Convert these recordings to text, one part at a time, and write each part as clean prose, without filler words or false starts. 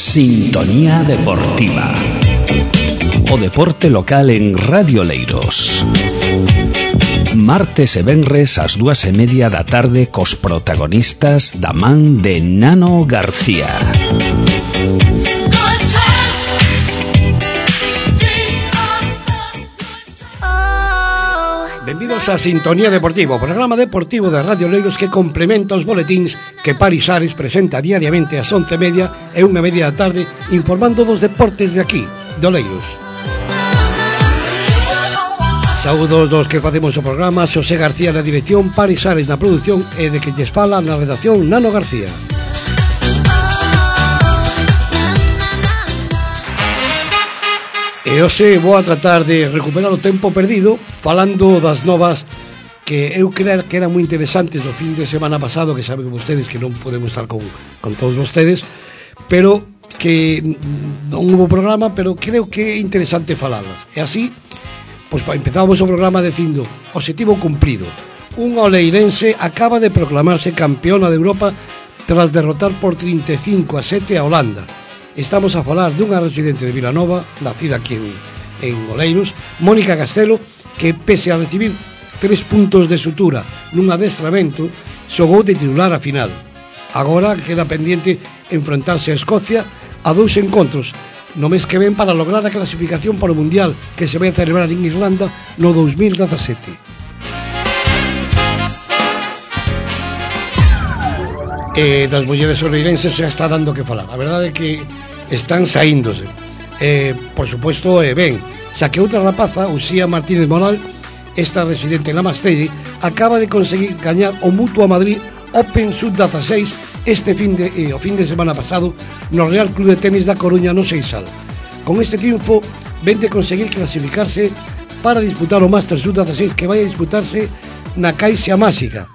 Sintonía Deportiva. O deporte local en Radio Oleiros. Martes e venres ás 2:30 da tarde cos protagonistas da man de Nano García. Benvidos a Sintonía Deportiva, o programa deportivo de Radio Oleiros que complementa os boletíns que Paris Ares presenta diariamente ás 11:30 e 1:30 da tarde, informando dos deportes de aquí, de Oleiros. Saúdos dos que facemos o programa, Xosé García na dirección, Paris Ares na produción e de que lles fala na redacción Nano García. E hoxe vou a tratar de recuperar o tempo perdido falando das novas que eu creo que eran moi interesantes o fin de semana pasado, que saben vostedes que non podemos estar con todos vostedes, pero que non hubo programa, pero creo que é interesante falarlas. E así, pois empezamos o programa dicindo objetivo cumprido. Un oleirense acaba de proclamarse campeona de Europa tras derrotar por 35-7 a Holanda. Estamos a falar dunha residente de Vilanova, nacida aquí en Oleiros, Mónica Castelo, que pese a recibir 3 puntos de sutura nun adestramento, xogou de titular a final. Agora queda pendiente enfrontarse a Escocia a 2 encontros no mes que ven para lograr a clasificación para o Mundial que se vai a celebrar en Irlanda no 2017. Das mulleres oleirenses se está dando que falar. A verdade é que están saíndose. Por suposto, ben, xa que outra rapaza, Uxía Martínez Moral, esta residente en la Mastelle, acaba de conseguir gañar o Mutua Madrid Open Sub-16 o fin de semana pasado no Real Club de Tenis da Coruña no Seixal. Con este triunfo ven de conseguir clasificarse para disputar o Master Sub-16 que vai a disputarse na Caixa Máxica.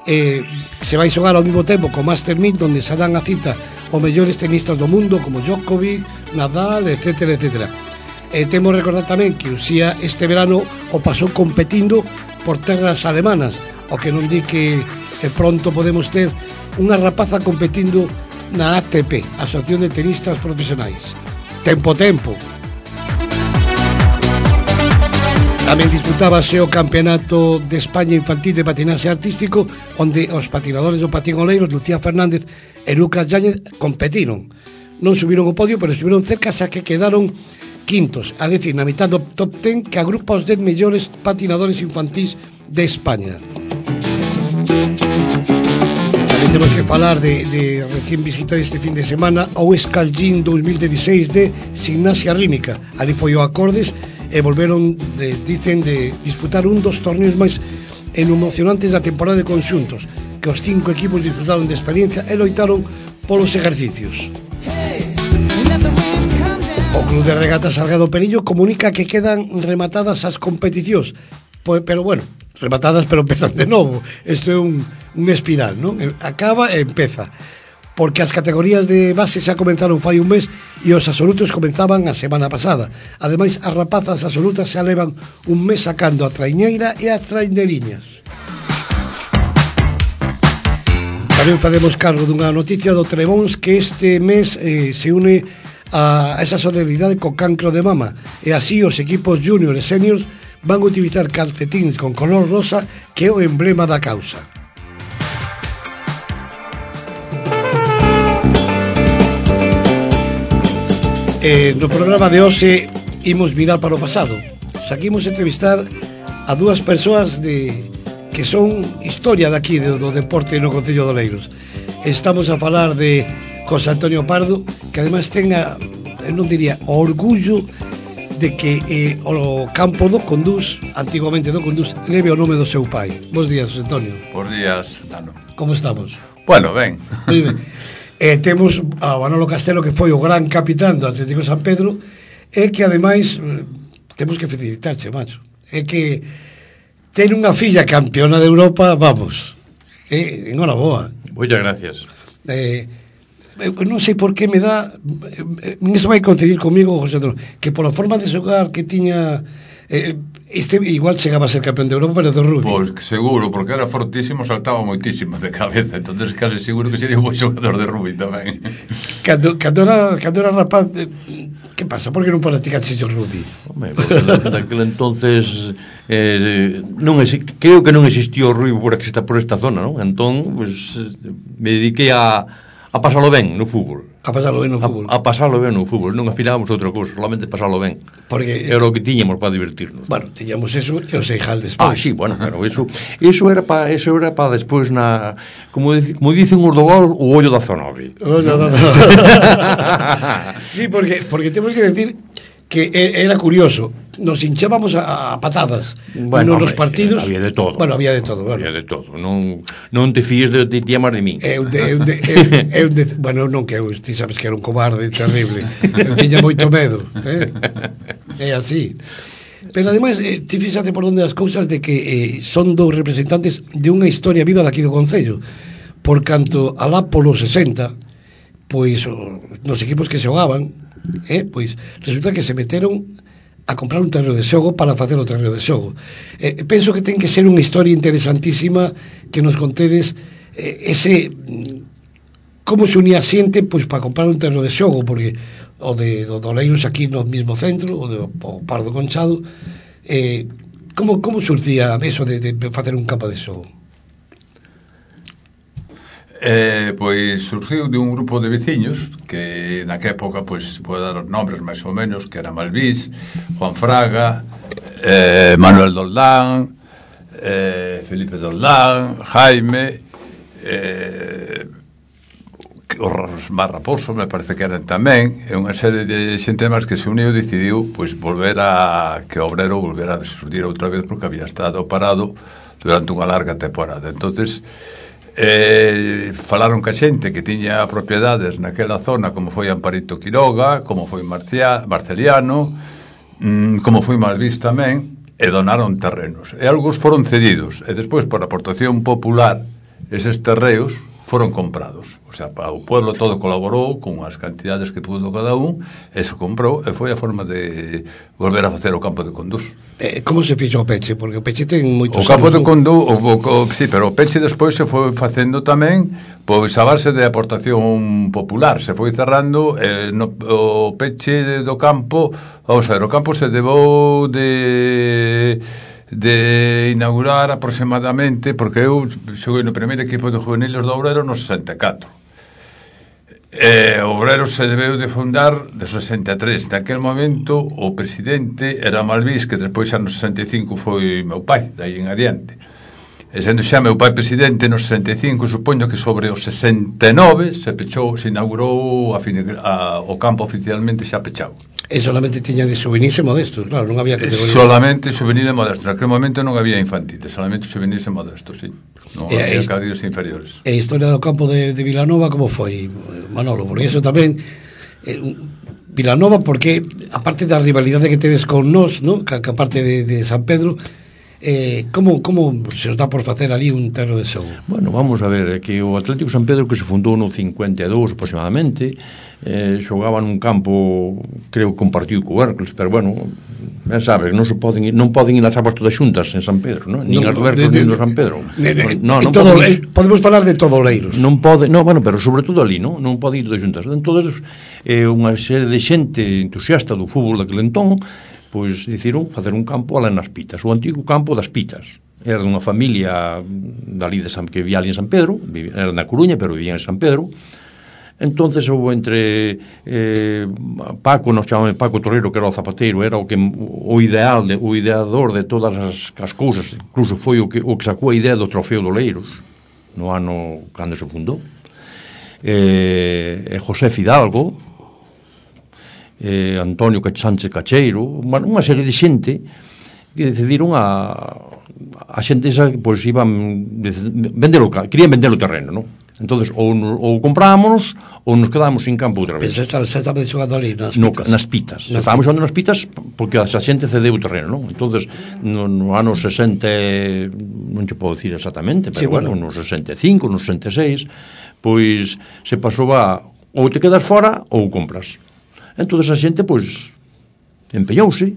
Se vai xogar ao mesmo tempo co Master 1000, donde se dan a cita os mellores tenistas do mundo como Djokovic, Nadal, etc. Temos recordar tamén que Uxía este verano o pasou competindo por terras alemanas, o que non di que pronto podemos ter unha rapaza competindo na ATP, Asociación de Tenistas Profesionais. Tempo. Tamén disputábase o Campeonato de España Infantil de Patinaxe Artístico, onde os patinadores do patín Oleiros, Lucía Fernández e Lucas Yáñez, competiron. Non subiron o podio, pero estuvieron cerca, xa que quedaron quintos, a decir, na mitad do top 10 que agrupa os 10 mellores patinadores infantís de España. Tamén temos que falar de recién visita este fin de semana ao Escalgín 2016 de Gimnasia Rítmica. Ali foi o Acordes e volveron, dicen, de disputar un dos torneos máis emocionantes da temporada de conxuntos, que os 5 equipos disfrutaron de experiencia e loitaron polos exercicios. O Club de Regatas Salgado Perillo comunica que quedan rematadas as competicións, pero bueno, rematadas pero empezan de novo. Isto é un espiral, non? Acaba e empeza, porque as categorías de base xa comenzaron fai un mes e os absolutos comenzaban a semana pasada. Ademais, as rapazas absolutas xa levan un mes sacando a traiñeira e as traineriñas. Tamén facemos cargo dunha noticia do Trebóns, que este mes se une a esa solidaridade co cancro de mama, e así os equipos junior e seniors van a utilizar calcetins con color rosa, que é o emblema da causa. No programa de hoxe imos mirar para o pasado. Saquimos entrevistar a 2 persoas que son historia daqui do deporte no Concello de Oleiros. Estamos a falar de José Antonio Pardo, que ademais ten non diría o orgullo de que o campo do Condús, antigamente do Condús, leve o nome do seu pai. Bos días, José Antonio. Bos días, Nano. Como estamos? Bueno, ben. Moi ben. Temos a Manolo Castelo, que foi o gran capitán do Atlético San Pedro, e que ademais temos que felicitarche, macho, é que ten unha filla campeona de Europa, vamos, enhoraboa. Moitas gracias. Non sei por que me dá, iso vai coincidir comigo, José Antonio, que pola forma de xogar que tiña, Este igual chegaba a ser campeón de Europa, pero do rugby. Pois seguro, porque era fortísimo, saltaba moitísimo de cabeza, entonces casi seguro que sería un bon xogador de rugby tamén. Cando era rapaz, que pasa? Por que non practicaste o rugby? Home, daquele entonces creo que non existía o rugby por esta zona, non? Entón, pues, me dediquei a pasalo ben no fútbol. A pasalo ben no fútbol. A pasalo ben no fútbol, non aspirábamos a outra cousa, solamente pasalo ben. Porque era o que tiñamos para divertirnos. Bueno, tiñamos eso e o Seijal despois. Sí, bueno, pero eso era para despois como dicen os do gol, o ollo da zona. Sí, porque temos que decir que era curioso, nos hinchábamos a patadas nos partidos. Había de todo. Bueno, había de todo. Había de todo. Non te fíes de ti a máis de min. Bueno, non que eu, ti sabes que era un cobarde terrible. Eu tiña moito medo, É así. Pero ademais, ti fíxate por onde as cousas de que son dous representantes de unha historia viva daqui do Concello. Por canto alá polo 60, pois nos equipos que xogaban, pois resulta que se meteron a comprar un terreo de xogo para facer o terreo de xogo. Penso que ten que ser unha historia interesantísima que nos contedes ese como se unía a xente pois para comprar un terreo de xogo, porque o de Oleiros aquí no mesmo centro, o Pardo Conchado, como surtía eso de facer un campo de xogo? Pois surgiu de un grupo de veciños que naquela época, pois, vou dar os nombres máis ou menos, que era Malvís, Juan Fraga, Manuel Doldán, Felipe Doldán, Jaime, os Mar Raposo, me parece que eran tamén, e unha serie de xente máis que se uniu e decidiu, pois, que o Obrero volvera a surdir outra vez porque había estado parado durante unha larga temporada. Entonces falaron ca xente que tiña propiedades naquela zona, como foi Amparito Quiroga, como foi Marceliano, como foi Malvís tamén, e donaron terrenos, e algúns foron cedidos, e despois por aportación popular eses terreos foron comprados, o sea, o pueblo todo colaborou con as cantidades que pudo cada un, e se comprou, e foi a forma de volver a facer o campo de Condús. Como se fixo o Peche? Porque o Peche ten moitos anos. O campo de Condús, sí, pero o Peche despois se foi facendo tamén, pois a base de aportación popular, se foi cerrando, o Peche do campo, vamos a ver, o campo se debou de inaugurar aproximadamente, porque eu xoguei no primeiro equipo de juveniles do Obrero no 64. O Obrero se debeu de fundar de 63. Naquel momento o presidente era Malvís, que despois xa no 65 foi meu pai, daí en adiante. E sendo xa meu pai presidente no 65, supoño que sobre o 69 se inaugurou o campo oficialmente xa pechado. E solamente tiña de juvenis e modestos, claro, non había categoría. Solamente juvenil e modesto. Naquele momento non había infantiles, solamente juvenis e modestos, sí. Non había categorías inferiores. E a historia do campo de Vilanova como foi, Manolo? Porque eso tamén Vilanova, porque aparte da rivalidade que tedes con nós, ¿no? Que aparte de San Pedro, como se nos dá por facer ali un terreo de xogo? Bueno, vamos a ver, que o Atlético San Pedro, que se fundou no 52 aproximadamente, xogaba nun campo, creo que compartido co Hércules, pero bueno, sabes, non poden ir as aguas todas xuntas en San Pedro, non? Nin as do Hércules nin do San Pedro. Podemos falar de todo Oleiros. Bueno, pero sobre todo ali, non poden ir todas xuntas. Entonces, unha serie de xente entusiasta do fútbol daquele entón, pois decidiron facer un campo alá nas Pitas, o antigo campo das Pitas. Era dunha familia dali que vivía ali en San Pedro, era na Coruña, pero vivía en San Pedro. Entonces houve entre Paco, nos chamamos Paco Torreiro, que era o zapateiro, era o ideador de todas as cousas, incluso foi o que sacou a idea do trofeo do Oleiros no ano cando se fundou. José Fidalgo, Antonio Sánchez Cacheiro, unha serie de xente que decidiron a xente esa, pois iban querían vender o terreno, non? Entonces ou comprámonos ou nos quedábamos sin campo outra vez. Pero xa estaba xogando ali nas Pitas. Estábamos xogando nas Pitas porque a xente cedeu o terreno, non? Entonces no ano 60, non te podo decir exactamente, pero sí, bueno, no 65, no 66, pois se pasou ou te quedas fora ou compras. Entonces a xente, pois, empeñouse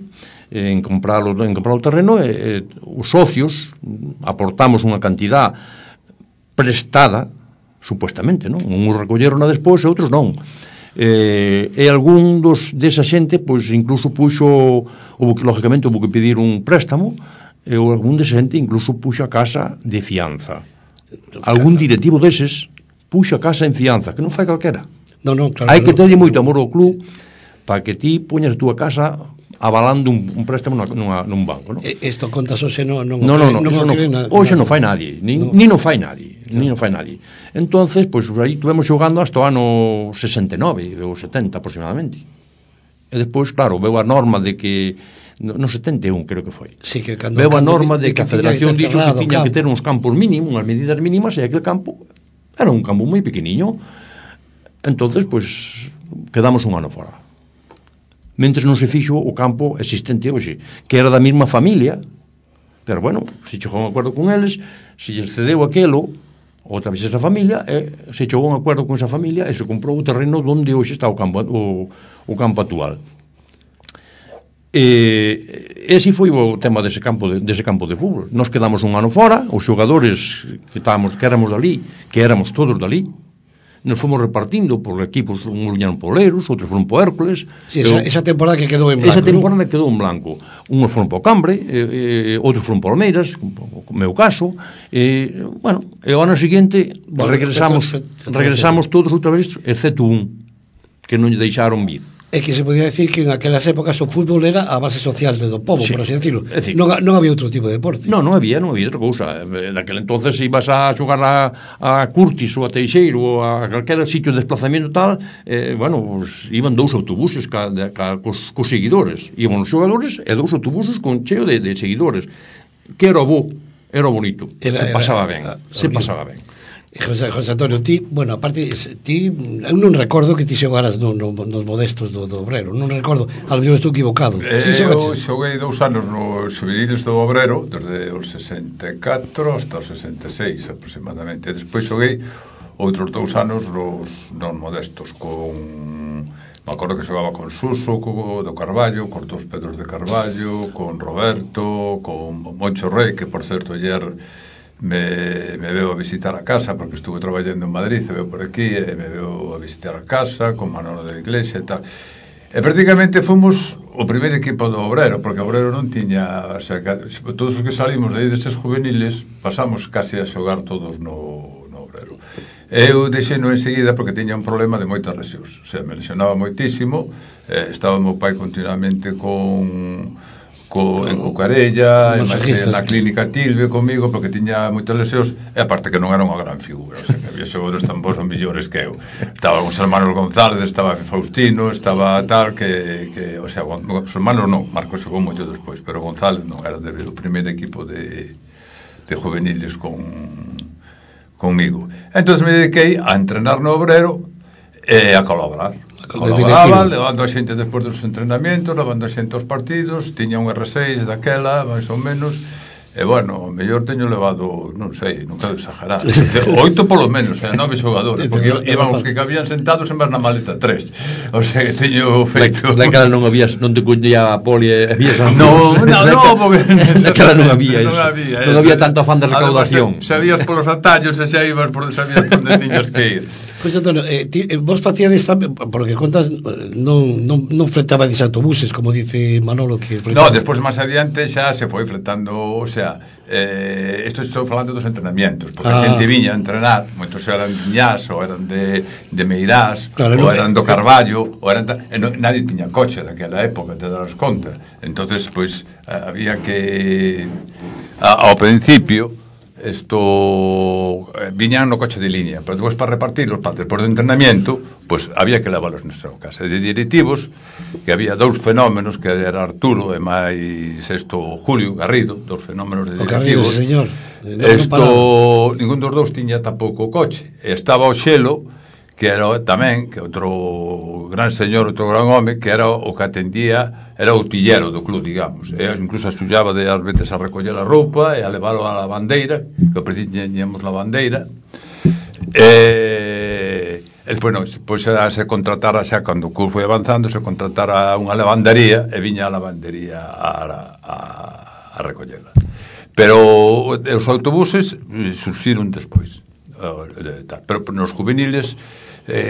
en comprar o terreno, os socios aportamos unha cantidad prestada, supuestamente, non? Uns recolleron a despois e outros non. E algún desa xente, pois, incluso puxo, lógicamente, houve que pedir un préstamo, e algún desa xente incluso puxo a casa de fianza. Algún directivo deses puxo a casa en fianza, que non fai calquera. Claro, hai que terlle moito amor ao club para que ti poñas a túa casa avalando un préstamo nun banco, non? Isto contas hoxe non hoxe non fai nadie, ni non fai nadie, Entonces, pois aí estuvemos xogando hasta o ano 69 ou 70 aproximadamente. E despois, claro, veu a norma de que no 71 creo que foi. Sí, que veu a norma de que a Federación dixo que tiña que ter uns campos mínimos, unhas medidas mínimas, e aquel campo era un campo moi pequeniño. Entonces, pois, quedamos un ano fora. Mentres non se fixo o campo existente hoxe, que era da mesma familia, pero bueno, se chegou a un acordo con eles, se lles cedeu aquelo, outra vez esa familia, se chegou a un acordo con esa familia e se comprou o terreno onde hoxe está o campo actual. E así foi o tema dese campo de fútbol. Nos quedamos un ano fora, os xogadores que éramos dali, que éramos todos dali, nos fomos repartindo por equipos, uns viñeron por Oleiros, outros foron por Hércules. Sí, esa temporada que quedou en blanco. Esa temporada quedou en blanco. Uns foron por Cambre, outros foron por Almeiras, o meu caso. Bueno, e o ano seguinte regresamos todos outra vez, excepto un, que non lle deixaron vir. É que se podía decir que en aquelas épocas o fútbol era a base social do povo, sí, por así decirlo. Non había outro tipo de deporte. Non había outra cousa. Naquele entonces ibas a xogar a Curtis ou a Teixeiro ou a calquera sitio de desplazamiento tal, bueno, pues, iban 2 autobuses cos seguidores. Iban os xogadores e 2 autobuses con cheo de seguidores. Que era o bo, era o bonito. Se pasaba ben. José Antonio, ti, bueno, aparte, eu non recordo que ti xogaras nos modestos do Obrero, non recordo, ao mellor estou equivocado. Eu xoguei 2 anos nos juveniles do Obrero, desde os 64 hasta os 66 aproximadamente, e despois xoguei outros 2 anos nos modestos, me acordo que xogaba con Suso, do Carballo, con dos Pedros de Carballo, con Roberto, con Moncho Rey, que por certo ayer me veo a visitar a casa porque estuve traballando en Madrid, se veo por aquí e me veo a visitar a casa con Manolo de Iglesia e tal, e prácticamente fomos o primeiro equipo do Obrero, porque o Obrero non tiña, o sea, todos os que salimos de aí deses juveniles pasamos casi a xogar todos no Obrero. Eu deixei-no enseguida porque tiña un problema de moitas lesións, o sea, me lesionaba moitísimo, estaba meu pai continuamente en Cucarella, na clínica Tilbe comigo, porque tiña moitas lesións, e aparte que non era unha gran figura, o sea, que había xogadores tan bons ou millores que eu. Estaba os hermanos González, estaba Faustino, estaba tal, que o sea, os hermanos non, Marcos xogou moito despois, pero González non era o primeiro equipo de juveniles comigo. Entón me dediquei a entrenar no Obrero e a colaborar, levando a xente despois dos entrenamientos, levando a xente aos partidos, tiña un R6 daquela, máis ou menos, e bueno, o mellor teño levado, non sei, non quero exagerar, 8 polo menos, 9 xogadores, porque iban os que cabían sentados en vez na maleta 3, o sea que teño feito... Daquela non te cuñía a poli e había... No, porque... Daquela non había iso, non había tanto afán de recaudación. Sabías polos atallos e xa ibas sabías por onde tiñas que ir. Pois, Antonio, vos facíades, por lo que contas, non fletabades autobuses, como dice Manolo, que fletaba. No, despois máis adiante xa se foi fletando, o sea, isto estou falando dos entrenamientos, porque a xente viña a entrenar, moitos eran de Iñás, ou eran de Meirás, claro, ou eran do Carballo, ou eran nadie tiña coche daquela época, te darás conta. Entonces, pois, había que ao principio viñan no coche de línea, pero despois para repartirlos, despois do entrenamiento, pues había que levarlos na súa casa. De directivos, que había 2 fenómenos, que era Arturo e máis Julio Garrido, 2 fenómenos de directivos. Garrido, señor. Ningún dos 2 tiña tampouco coche. Estaba o Xelo, que era tamén, que outro gran señor, outro gran home, que era o que atendía, era o tillero do club, digamos. E incluso axullaba de ás veces a recoller a roupa e a leválo a lavandeira, que ao principio teníamos lavandeira. Despois se contratara xa, cando o curso foi avanzando, se contratara unha lavandería e viña a lavandería a recollela. Pero os autobuses surxiron despois. Pero nos juveniles,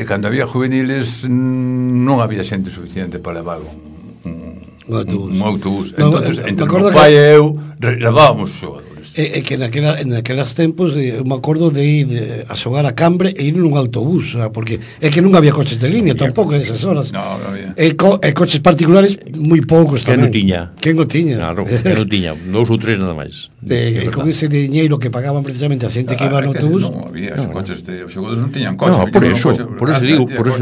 cando había juveniles, non había xente suficiente para levar un autobús. Entonces, entre o pai e eu levábamos os xogadores. É que naquelas tempos eu me acordo de ir a xogar a Cambre e ir nun autobús, porque é que non había coches de línea tampouco en esas horas. No había. E coches particulares moi poucos tamén. Quen non tiña? Claro, quen non tiña, 2 ou 3 nada máis. Con ese diñeiro que pagaban precisamente a xente que iba no autobús. Non había, os coches os xogadores non tiñan coche. No, por eso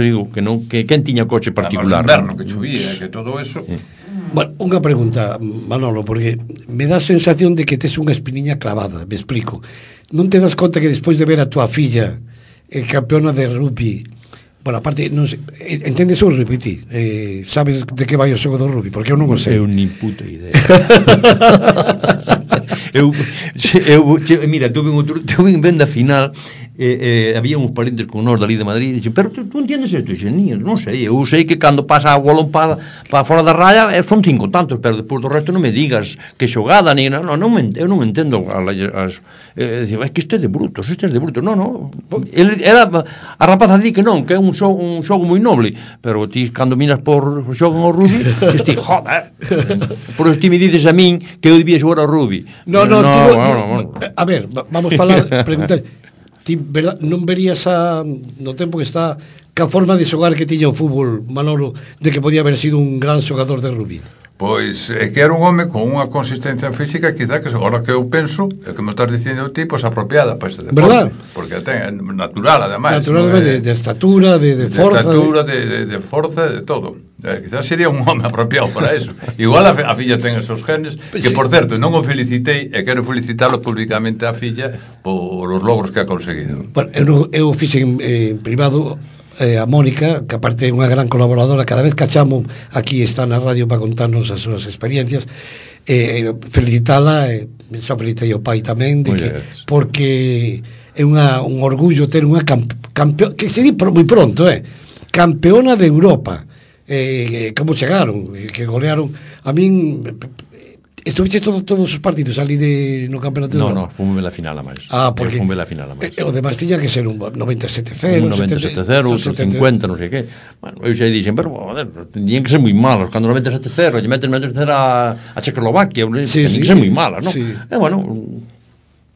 digo que quen tiña coche particular. O inverno que chovía, que todo eso. Bueno, unha pregunta, Manolo, porque me dá a sensación de que tes unha espiniña clavada, me explico. Non te das conta que despois de ver a tua filla campeona de rugby, bueno, aparte, non sei, entendes o rugby, ti? Sabes de que vai o xogo do rugby? Porque eu non o sei. Eu nin puta idea. Mira, tuve en venda final, había uns parentes con nós dali de Madrid, e dixen, pero tú entiendes isto? E dixen, non sei, eu sei que cando pasa a bolón para fora da raya son 5 tantos, pero despois do resto non me digas que xogada, eu non entendo é que isto é de brutos, non, a rapaza di que non, que é un xogo moi noble, pero ti cando miras por xogan ao rugby, ti, joder, por eso ti me dices a min que eu debía xogar ao rugby. No, a ver, vamos falar, preguntar, ti non verías no tempo que está que a forma de xogar que tiña o fútbol, Manolo, de que podía haber sido un gran xogador de rugby? Pois é que era un home con unha consistencia física quizá que agora que eu penso, é que me estás dicindo ti, pois apropiada para ese deporte. ¿Verdad? Porque ten natural, ademais. Natural, de estatura, de forza. De estatura, de forza, de todo. Quizás sería un home apropiado para eso. Igual a filla ten esos genes, que por certo, non o felicitei e quero felicitalo públicamente a filla por os logros que ha conseguido. Bueno, eu fixe en privado a Mónica, que aparte é unha gran colaboradora, cada vez que a chamo aquí está na radio para contarnos as súas experiencias, felicitala, xa felicitei o pai tamén, de que, porque é un orgullo ter unha campeona, que se di moi pronto, campeona de Europa. Como chegaron, que golearon a min. Estuviste todos os partidos ali no campeonato? No, fomos la final a máis. Porque fomos la final a máis. O demais tiña que ser un 97-0, un 97-0, outro 50, non sei que. Bueno, eu xa dixen, pero tenían que ser moi malos, cando 97-0, lle meten a Checoslovaquia, tenían que ser moi malas, non? E bueno,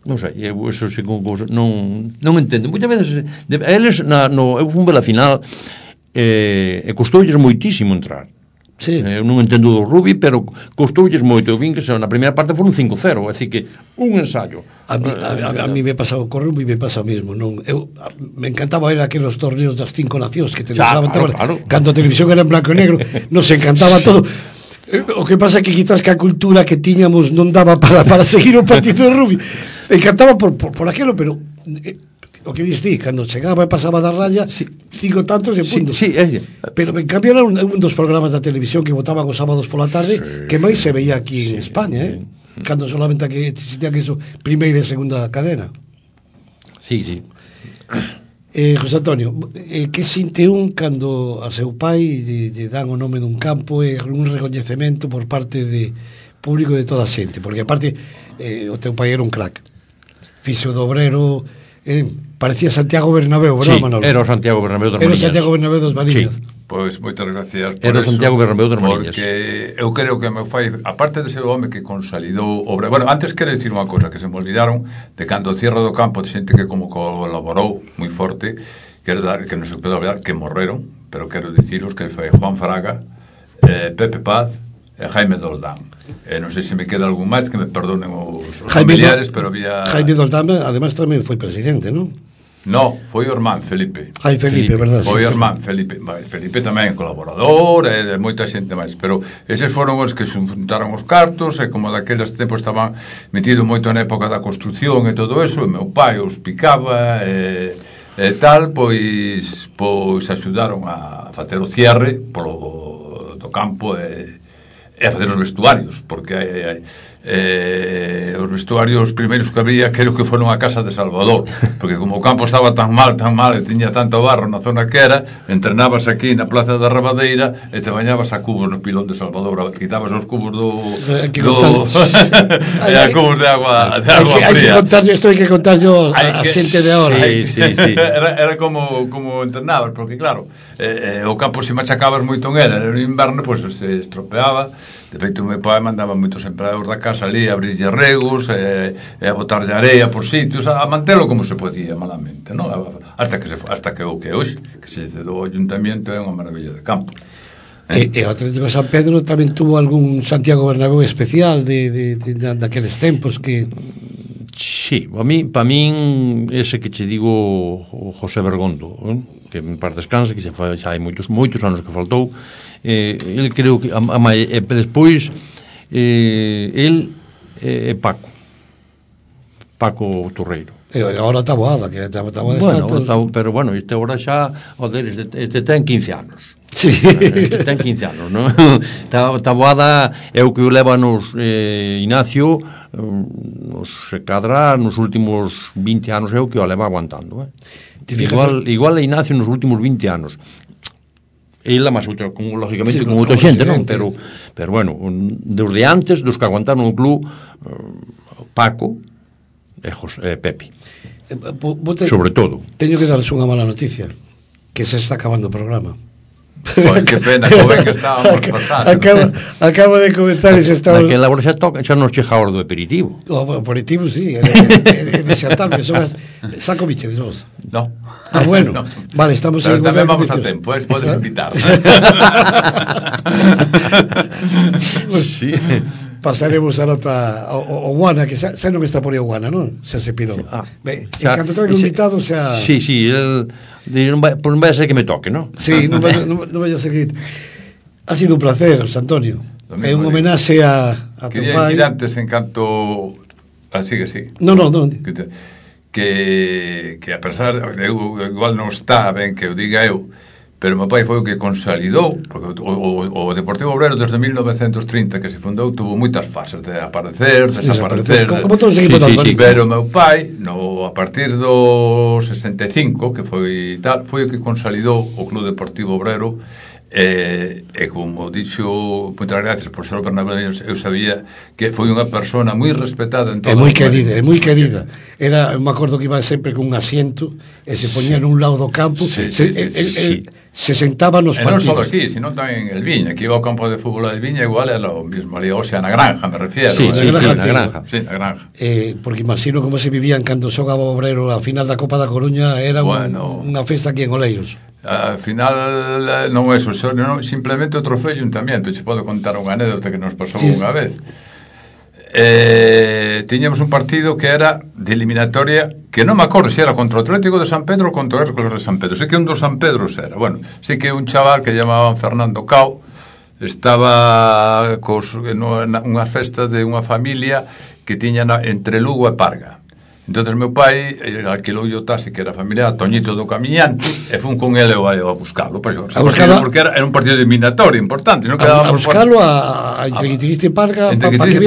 non sei, eso sí, non entendo. Moitas veces eles eu fomos la final e costoulles moitísimo entrar. Sí. Eu non entendo do rugby, pero costoulles moito. Eu vin que na primeira parte foron 5-0, é dicir que un ensayo. A mí me pasaba co rugby, me pasa o mesmo. Me encantaba ir a aqueles torneos das 5 nacións que televisaban, claro. Cando a televisión era en blanco e negro, nos encantaba todo. O que pasa é que quizás que a cultura que tiñamos non daba para seguir o partido de rugby. Me encantaba por aquilo, pero o que diste, cando chegaba e pasaba da raya, 5 tantos e puntos. Pero en cambio era un dos programas da televisión que botaban os sábados pola tarde, que máis se veía aquí en España, cando solamente que existía que eso, primeira e segunda cadena. Sí. José Antonio, que sinte un cando a seu pai lle dan o nome dun campo e un recoñecemento por parte de público de toda a xente? Porque aparte o teu pai era un crack, fixo do Obrero, parecía Santiago Bernabéu, ¿verdad, Manolo? Era o Santiago Bernabéu dos Mariñas. Era o Santiago Bernabéu dos Mariñas. Pois moitas gracias por era o Santiago Bernabéu dos Mariñas. Porque eu creo que meu fai, aparte de ser o home que consolidou obra. Bueno, antes quero dicir unha cosa que se me olvidaron de cando o cierre do campo de xente que como colaborou moi forte, que non se pode olvidar que morreron, pero quero diciros que foi Juan Fraga, Pepe Paz e Jaime Doldán. Non sei se me queda algún máis, que me perdonen os familiares, pero había... Jaime Doldán, además, tamén foi presidente, non? No, foi o irmán Felipe. Felipe, verdad. Foi o irmán Felipe. Felipe tamén colaborador e moita xente máis, pero eses foron os que se juntaron os cartos e como daqueles tempos estaban metidos moito na época da construcción e todo eso, e meu pai os picaba e tal, pois axudaron a facer o cierre do campo e a facer os vestuarios, porque os vestuarios primeiros que había creo que foron a casa de Salvador, porque como o campo estaba tan mal e tiña tanto barro na zona que era, entrenabas aquí na Plaza da Rabadeira e te bañabas a cubos no pilón de Salvador, quitabas os cubos e a cubos de agua fría. Isto hai que contar yo a xente de ahora. Sí. Era como entrenabas, porque claro, o campo se machacabas moito en era, no inverno pois se estropeaba. De feito, o meu pai mandaba moitos empleados da casa ali a abrirlle regos e a botarlle areia por sitios, a mantelo como se podía malamente, non? Hasta que o que hoxe, que se cedou ao ayuntamiento, é unha maravilla de campo. E o Atlético de San Pedro tamén tuvo algún Santiago Bernabéu especial daqueles tempos que... Sí, para min ese que che digo o José Bergondo, que en paz descansa, que xa hai moitos anos que faltou. El creo que despois el é Paco Torreiro. E agora está boada, que está boada. Bueno, pero bueno, este agora xa este ten 15 anos. Sí. Este ten 15 anos, non? Está boada é o que o leva nos Ignacio, nos se cadra nos últimos 20 anos é o que o leva aguantando, Igual a Ignacio nos últimos 20 anos. Ela máis outra, lógicamente, con outra xente, non? Pero bueno, desde antes, dos que aguantaron o club, Paco e Pepe. Sobre todo. Teño que darles unha mala noticia, que se está acabando o programa. Joder, que pena, que estábamos pasando. Acabo de comenzar e se está... Naquela hora xa nos chega a hora do aperitivo. O aperitivo, sí, é desatarme. Saco bichedes vos. No. Bueno, no. Vale, estamos... Pero tamén vamos a tempo, podes invitar. Sí. Pasaremos a nota o Guana, que xa non está por aí o Guana, non? Xa se pirou. En canto traigo invitado, xa... Sí, el... non vai a ser que me toque, non? Sí, non vai a ser que... Ha sido un placer, Antonio. É un homenaxe a tu pai. Quería ir antes en canto... Sigue. Non. Que a pesar... Igual non está ben que o diga eu, pero meu pai foi o que consolidou, porque o Deportivo Obrero desde 1930 que se fundou tuvo moitas fases de aparecer, desaparecer, como todos os equipos pero meu pai a partir do 65 que foi o que consolidou o Club Deportivo Obrero e como dixo, moitas gracias por ser o Bernabéu, eu sabía que foi unha persona moi respetada en todo. É moi querida. Era, me acordo que iba sempre con un asiento e se poñía nun lado do campo, se sentaba nos partidos. E non só aquí, sino tamén en el Viña, que iba ao campo de fútbol del Viña, igual era o mismo ali, o sea, na granja, me refiero. Sí, na granja. Sí, na granja. Porque imagino como se vivían cando xogaba o Obrero a final da Copa da Coruña, era unha festa aquí en Oleiros. Al final non é eso, simplemente o trofeo e un tamiento. Te podo contar unha anécdota que nos pasou unha vez. Tiñamos un partido que era de eliminatoria, que non me acordo se era contra o Atlético de San Pedro ou contra o Hércules de San Pedro. Sei que un dos San Pedros era. Bueno, sei que un chaval que llamaban Fernando Cao estaba nunha festa de unha familia que tiña entre Lugo e Parga. Entonces meu pai alquilou o taxi que era familiar, Toñito do Camiñante, e fun con ele a buscalo, porque era un partido de eliminatorio importante, non quedábamos a buscalo entre Guitiriste e Parga para que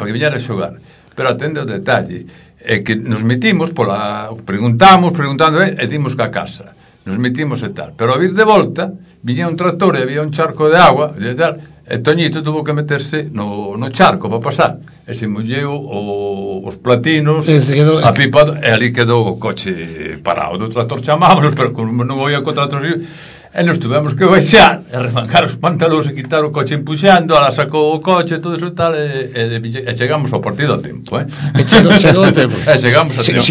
viñera a xogar. Pero atende o detalle, é que nos metimos preguntando e dimos que a casa. Nos metimos e tal, pero a vir de volta viña un tractor e había un charco de agua e tal. E Toñito tuvo que meterse no charco para pasar e se molleu os platinos a pipa e ali quedou o coche parado do tractor. Chamámonos, pero non oía co tractor e nos tuvemos que baixar e remangar os pantalóns e quitar o coche empuxando, ala sacou o coche todo eso tal e chegamos ao partido a tempo chegou a tempo chegamos a tempo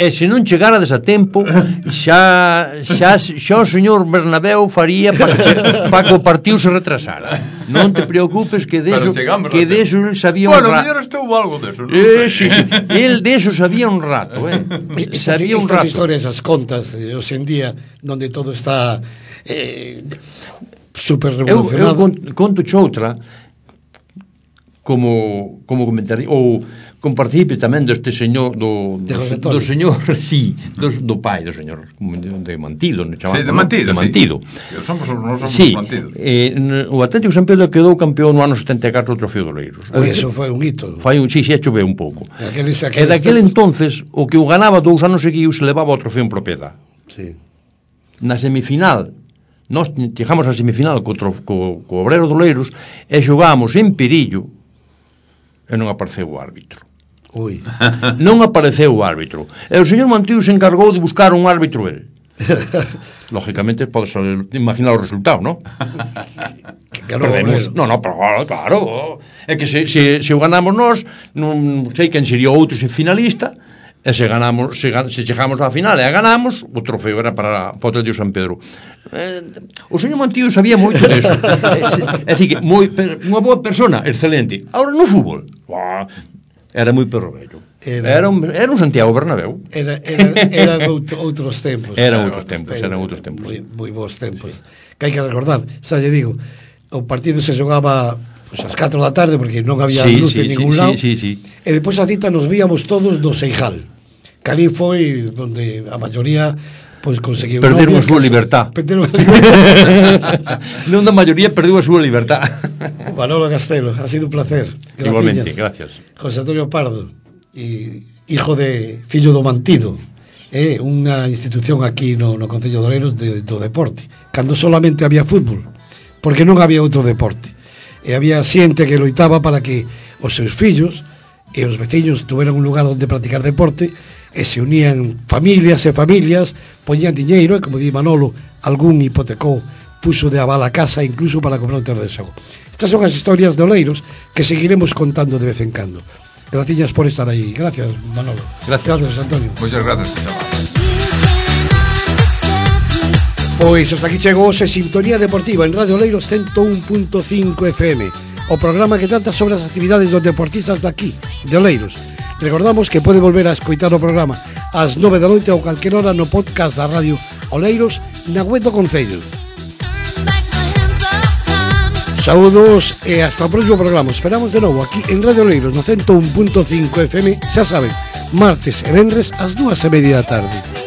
E se non chegarades a tempo xa o señor Bernabéu faría para que o partido se retrasara. Non te preocupes que deso el sabía un rato. Bueno, mellor estou algo deso, non? Sí, el deso sabía un rato, sabía un rato. Estas historias, as contas, hoxe en día, donde todo está super revolucionado. Eu conto outra como comentario ou con partícipe tamén deste señor do señor, sí, do pai do señor de Mantido, sí, de Mantido, sí. Somos sí, Mantidos. O Atlético San Pedro quedou campeón no ano 74 do Trofeo de Oleiros. Eso foi un hito. Sí, choveu un pouco. E daquele entonces o que o ganaba 2 anos seguidos levaba o trofeo en propiedade. Sí. Na semifinal nós chegamos á semifinal co Obrero de Oleiros e xogamos en Perillo e non apareceu o árbitro. Ui. Non apareceu o árbitro. E o señor Mantido se encargou de buscar un árbitro el. Lógicamente podes imaginar o resultado, ¿no? Perdemos. No, pero claro. É que se o ganamos nós, non sei quen sería outro finalista, e se chegamos á final e a ganamos, o trofeo era para o Atlético San Pedro. O señor Mantido sabía moito deso. É dicir, que unha boa persona, excelente. Ahora no fútbol, era moi perro vello. Era un Santiago Bernabéu. Eran outros tempos. Eran outros tempos. Moi bons tempos. Sí. Que hai que recordar, xa lle digo, o partido se xogaba pues, ás 4 da tarde porque non había luz en ningún lado. Sí. E depois a cita nos víamos todos do Seijal. Que ali foi onde a maioría pois conseguiu perderon a súa libertad. Non da maioría perdeu a súa libertad. Manolo Castelo, ha sido un placer. Gracias. Igualmente, gracias. José Antonio Pardo, hijo de fillo do Mantido, unha institución aquí no Concello de Oleiros do deporte, cando solamente había fútbol, porque non había outro deporte. E había xente que loitaba para que os seus fillos e os veciños tuveran un lugar onde practicar deporte, e se unían familias e familias, poñían diñeiro, e como di Manolo, algún hipotecou, puxo de aval a casa incluso para comprar un terreno de xogo. Estas son as historias de Oleiros que seguiremos contando de vez en cando. Gracias por estar aí. Gracias, Manolo. Gracias, Antonio. Muchas gracias, Pois hasta aquí chegou hoxe Sintonía Deportiva en Radio Oleiros 101.5 FM, o programa que trata sobre as actividades dos deportistas daqui, de Oleiros. Recordamos que pode volver a escoitar o programa ás 9 da noite ou calquer hora no podcast da Radio Oleiros na web do Concello. Saúdos e hasta o próximo programa. Esperamos de novo aquí en Radio Oleiros no 101.5 FM, xa saben, martes e venres ás 2:30 da tarde.